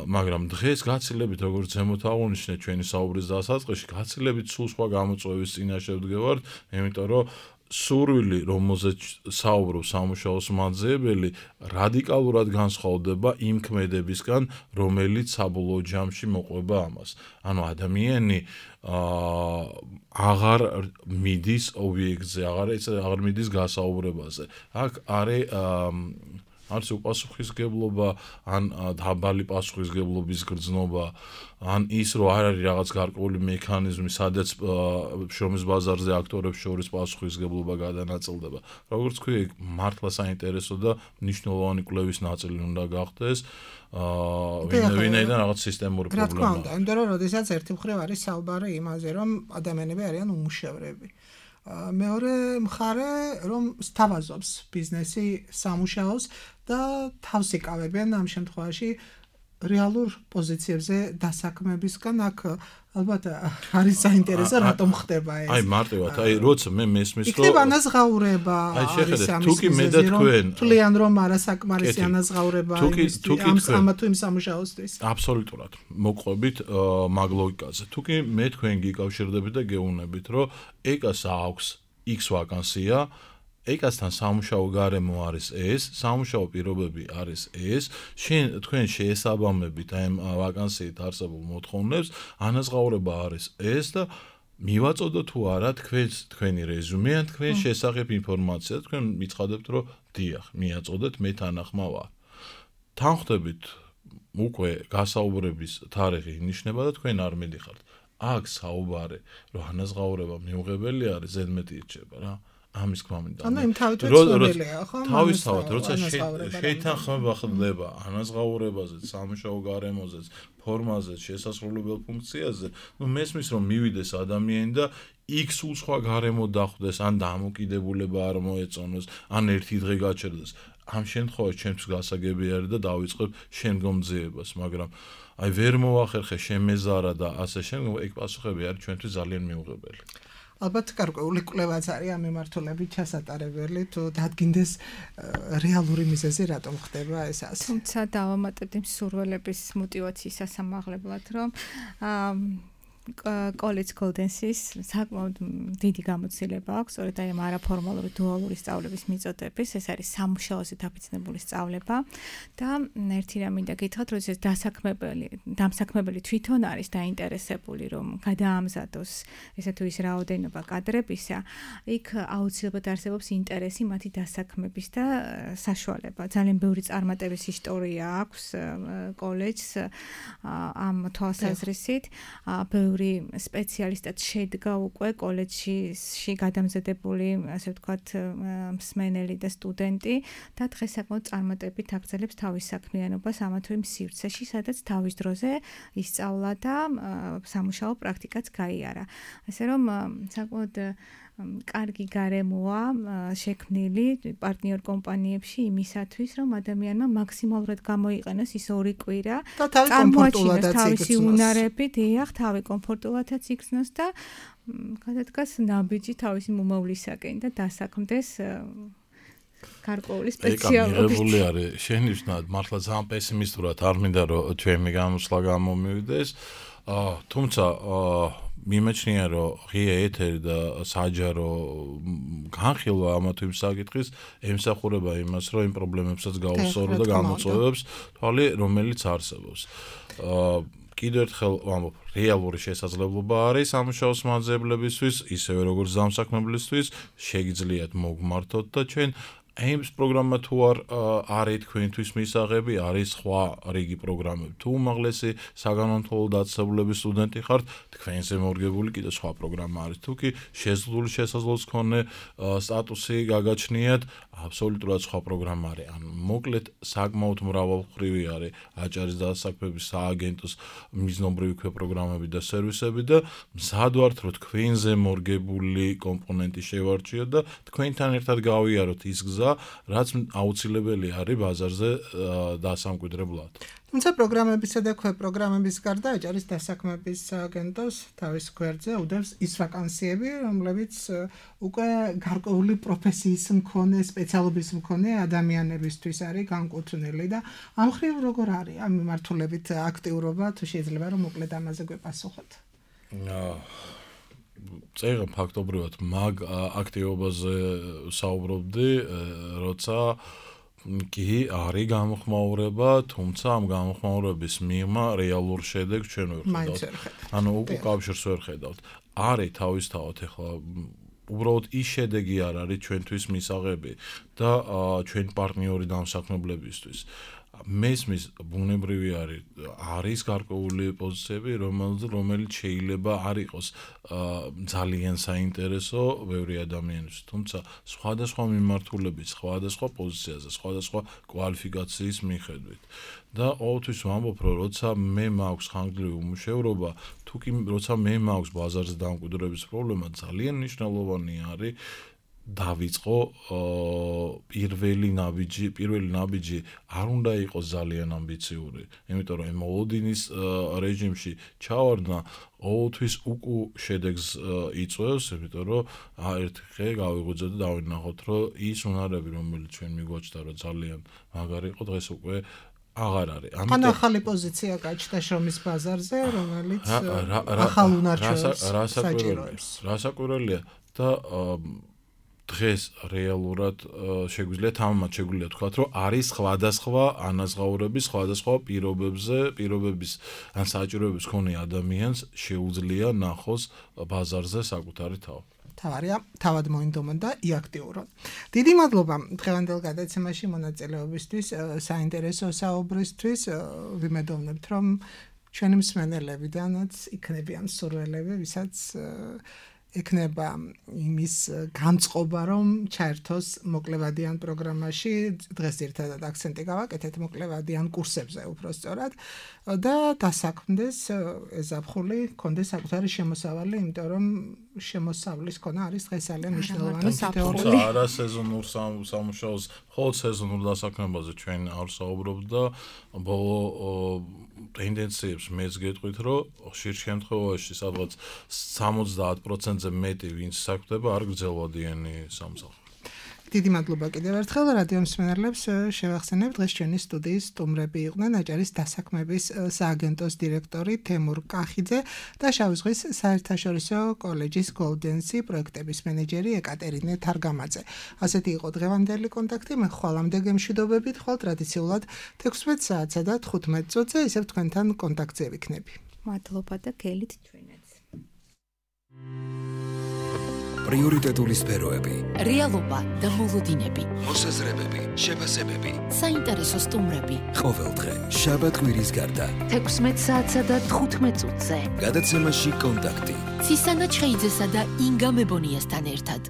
მაგრამ დღეს გაცილებით როგორც ზემოთ აღნიშნე ჩვენი საუბრის დასაწყისში, გაცილებით სულ სხვა გამოწვევის წინაშე ვდგევართ, იმიტომ რომ სურვილი, რომელზეც საუბრობს სამუშაოს მაძიებელი, რადიკალურად განსხვავდება იმ ქმედებისგან, რომელიც საბოლოო ჯამში მოყვება ამას. ანუ ადამიანი აღარ მიდის ობიექტზე, აღარ აღარ მიდის გასაუბრებაზე. აქ არის არც უპასუხისგებლობა, ან დაბალი პასუხისგებლობის გრძნობა, ან ის, რომ არ არის რაღაც გარკვეული მექანიზმი, სადაც შრომის ბაზარზე აქტორებს შორის პასუხისგებლობა გადანაწილდება. როგორც ვქვი, მართლა საინტერესო და მნიშვნელოვანი კვლევის ნაწილი უნდა გახდეს, ვინაიდან რაღაც სისტემური პრობლემა. რა თქმა უნდა, იმიტომ რომ როდესაც ერთი მხრივ არის საუბარი იმაზე, რომ ადამიანები არიან უმუშევრები. მეორე მხარე, რომ სთავაზობს ბიზნესი სამუშაოს და თავს იკავებენ ამ შემთხვევაში რეალურ პოზიციებზე დასაქმებისგან. აქ ალბათ არის საინტერესო, რატომ ხდება ეს. აი მარტივად, აი როცა მე მესმის რომ იქნება ანაზღაურება, არის ამის მიზეზი, თვლიან რომ არასაკმარისი ანაზღაურება იმის ამ თუ იმ სამუშაოსთვის. აბსოლუტურად მოყვებით მაგ ლოგიკაზე. თუ კი მე თქვენ გიკავშირდებით და გეუბნებით, რომ ეკას აქვს X ვაკანსია, ეკასთან სამუშაო გარემო არის ეს, სამუშაო პირობები არის ეს, შენ თქვენ შეესაბამებით აი ამ ვაკანსიით არსებულ მოთხოვნებს, ანაზღაურება არის ეს და მივაწოდო თუ არა თქვენს თქვენი რეზუმე ან თქვენ შესახებ ინფორმაცია, თქვენ მიცხადებთ, რომ დიახ, მიაწოდეთ, მე თანახმა ვარ. თან ხვდებით უკვე გასაუბრების თარიღი ინიშნება და თქვენ არ მიდიხართ. აქ საუბარი, რომ ანაზღაურება მიუღებელი არის, ზედმეტი ირჩება რა. ამის გვამინდა. ანუ იმ თავითვე ცნობილია, ხო? თავისთავად, როცა შეითანხმება ხდება ანაზღაურებაზე, სამუშაო გარემოზე, ფორმაზე, შესასრულებელ ფუნქციაზე, ნუ მესმის რომ მივიდეს ადამიანი და X სულ სხვა გარემო დახვდეს, ან დამოკიდებულება არ მოეწონოს, ან ერთი დღე გაჩერდეს. ამ შემთხვევაში ჩემთვის გასაგები არის და დავიწყებ შემდგომ ძიებას, მაგრამ აი ვერ მოახერხე შემეზარა და ასე შემდგომ, ეგ პასუხები არის ჩვენთვის ძალიან მიუღებელი. ალბათ გარკვეული კვლევაც არის ამ მიმართულებით ჩასატარებელი, თუ დადგინდეს რეალური მიზეზი რატომ ხდება ეს ასე. თუმცა დავამატებთ იმ სურვილების მოტივაციის სასამაღლებლად, რომ college Golden-sis საკმაოდ დიდი გამოცდილება აქვს, სწორედ აი ამ არაფორმალური დუალური სწავლების მიწოდების, ეს არის სამუშაოზე დაფიძნებული სწავლება და ერთი რამ მინდა გითხრათ, რომ ეს დასაქმებელი, დამსაქმებელი თვითონ არის დაინტერესებული, რომ გადაამზადოს ესა თუ ის რაოდენობა კადრებისა, იქ აუცილებლად არსებობს ინტერესი მათი დასაქმების და საშუალება. ძალიან ბევრი წარმატების ისტორია აქვს კოლეჯს ამ თვალსაზრისით, ბევრი ბევრი სპეციალისტად შედგა უკვე კოლეჯში გადამზადებული, ასე ვთქვათ, მსმენელი და სტუდენტი და დღეს საკმაოდ წარმატებით აგრძელებს თავის საქმიანობას ამა თუ იმ სივრცეში, სადაც თავის დროზე ისწავლა და სამუშაო პრაქტიკაც გაიარა. ასე რომ საკმაოდ კარგი გარემოა შექმნილი პარტნიორ კომპანიებში იმისათვის, რომ ადამიანმა მაქსიმალურად გამოიყენოს ის ორი კვირა, წარმოაჩინოს თავისი უნარები, დიახ, თავი კომფორტულადაც იგრძნოს და გადადგას ნაბიჯი თავისი მომავლისაკენ და დასაქმდეს გარკვეული სპეციალობით. მიღებული არის შენიშვნად, მართლა ძალიან პესიმისტურად არ მინდა რომ ჩვენი გამოსვლა გამომივიდეს. თუმცა მიმეჩნია რომ ღია ეთერი და საჯარო განხილვა ამა თუ იმ საკითხის ემსახურება იმას, რომ იმ პრობლემებსაც გაუსწორო და გამოწვევებს თვალი, რომელიც არსებობს. კიდევ ერთხელ ვამბობ, რეალური შესაძლებლობა არის სამუშაოს მაძებლებისთვის, ისევე როგორც დამსაქმებლისთვის, შეგიძლიათ მოგმართოთ და ჩვენ ეიმს პროგრამა თუ არ არის თქვენთვის მისაღები, არის სხვა რიგი პროგრამები. თუ უმაღლესი საგანმანათლებლო დაწესებულების სტუდენტი ხართ, თქვენზე მორგებული კიდე სხვა პროგრამა არის. თუ კი შეზღუდული შესაძლებლობის მქონე სტატუსი გაგაჩნიათ, აბსოლუტურად სხვა პროგრამა არის. ან მოკლედ საკმაოდ მრავალმხრივი არის აჭარის დასაქმების სააგენტოს მიზნობრივი პროგრამები და სერვისები და მზად ვართ, რომ თქვენზე მორგებული კომპონენტი შევარჩიოთ და თქვენთან ერთად გავიაროთ ის გზა, რაც აუცილებელი არის ბაზარზე დასამკვიდრებლად. თუმცა პროგრამებისა და ქვეპროგრამების გარდა აჭარის დასაქმების სააგენტოს თავის გვერდზე უდევს ის ვაკანსიები, რომლებიც უკვე გარკვეული პროფესიის მქონე, სპეციალობის მქონე ადამიანებისთვის არის განკუთვნილი და ამ მხრივ როგორ არის ამ მიმართულებით აქტიურობა, თუ შეიძლება რომ მოკლედ ამაზე გვეპასუხოთ. წერა ფაქტობრივად მაგ აქტივობაზე საუბრობდი, როცა კი არის გამოხმაურება, თუმცა ამ გამოხმაურების მიღმა რეალურ შედეგს ჩვენ ვერ ხედავთ. ანუ უკვე კავშირს ვერ ხედავთ. არის თავისთავად ახლა უბრალოდ ის შედეგი არ არის ჩვენთვის მისაღები და ჩვენ პარტნიორი დამსაქმებლებისთვის. მესმის ბუნებრივი არის არის გარკვეული პოზიციები, რომელიც შეიძლება არ იყოს ძალიან საინტერესო ბევრი ადამიანისთვის, თუმცა სხვადასხვა მიმართულებით, სხვადასხვა პოზიციაზე, სხვადასხვა კვალიფიკაციის მიხედვით. და ყოველთვის ვამბობ, რომ როცა მე მაქვს ხანგრძლივი უმუშევრობა, თუ კი როცა მე მაქვს ბაზარზე დამკვიდრების პრობლემა, ძალიან მნიშვნელოვანი არის დავიწყო პირველი ნაბიჯი, პირველი ნაბიჯი არ უნდა იყოს ძალიან ამბიციური, იმიტომ რომ მოლოდინის რეჟიმში ჩავარდნა ყოველთვის უკუ შედეგს იწვევს, იმიტომ რომ ერთი ხე გავიღვიძოთ და დავინახოთ, რომ ის უნარები, რომელიც ჩვენ მიგვაჩნდა, რომ ძალიან მაგარი იყო, დღეს უკვე აღარ არის. ან ახალი პოზიცია გაჩნდა შრომის ბაზარზე, რომელიც ახალ უნარჩვევებს საჭიროებს. რასაკვირველია და დღეს რეალურად შეგვიძლია თამამად შეგვიძლია თქვა, რომ არის სხვადასხვა ანაზღაურების, სხვადასხვა პირობებზე, პირობების ან საჭიროების მქონე ადამიანს შეუძლია ნახოს ბაზარზე საკუთარი თავი. თავარია, თავად მოინდომონ და იაქტიურონ. დიდი მადლობა დღევანდელ გადაცემაში მონაწილეობისთვის, საინტერესო საუბრისთვის. ვიმედოვნებთ, რომ ჩვენი მსმენელებიდანაც იქნებიან მსურველები, ვისაც ექნება იმის განწყობა, რომ ჩაერთოს მოკლევადიან პროგრამაში, დღეს ერთადად აქცენტი გავაკეთეთ მოკლევადიან კურსებზე უბრალოდ და დასაქმდეს ეზაფხული, კონდეს საკუთარი შემოსავალი, იმიტომ რომ შემოსავლის ქონა არის დღეს ძალიან მნიშვნელოვანი თეორიული. არა სეზონურ სამუშაოს, მხოლოდ სეზონურ დასაქმებაზე ჩვენ არ საუბრობთ და ბოლო ტენდენციებს მეც გეტყვით, რომ ხშირ შემთხვევაში სადღაც სამოცდაათ პროცენტზე მეტი ვინც საქმდება არ გრძელვადიანი სამსახური. დიდი მადლობა კიდევ ერთხელ რადიო მსმენელებს შევახსენებ, დღეს ჩვენი სტუდიის სტუმრები იყვნენ აჭარის დასაქმების სააგენტოს დირექტორი თემურ კახიძე და შავი ზღვის საერთაშორისო კოლეჯის გოლდენსი პროექტების მენეჯერი ეკატერინე თარგამაძე. ასეთი იყო დღევანდელი კონტაქტი, მე ხვალამდე გემშვიდობებით, ხვალ ტრადიციულად თექვსმეტ საათსა და თხუთმეტ წუთზე ისევ თქვენთან კონტაქტზე ვიქნები. მადლობა და გელით ჩვენაც. პრიორიტეტული სფეროები, რეალობა და მოლოდინები, მოსაზრებები, შეფასებები. საინტერესო სტუმრები. ყოველდღე შაბათ კვირის გარდა. თექვსმეტ საათსა და თხუთმეტ წუთზე. გადაცემაში კონტაქტი. ცისანა ჩხეიძესა და ინგა მებონიასთან ერთად.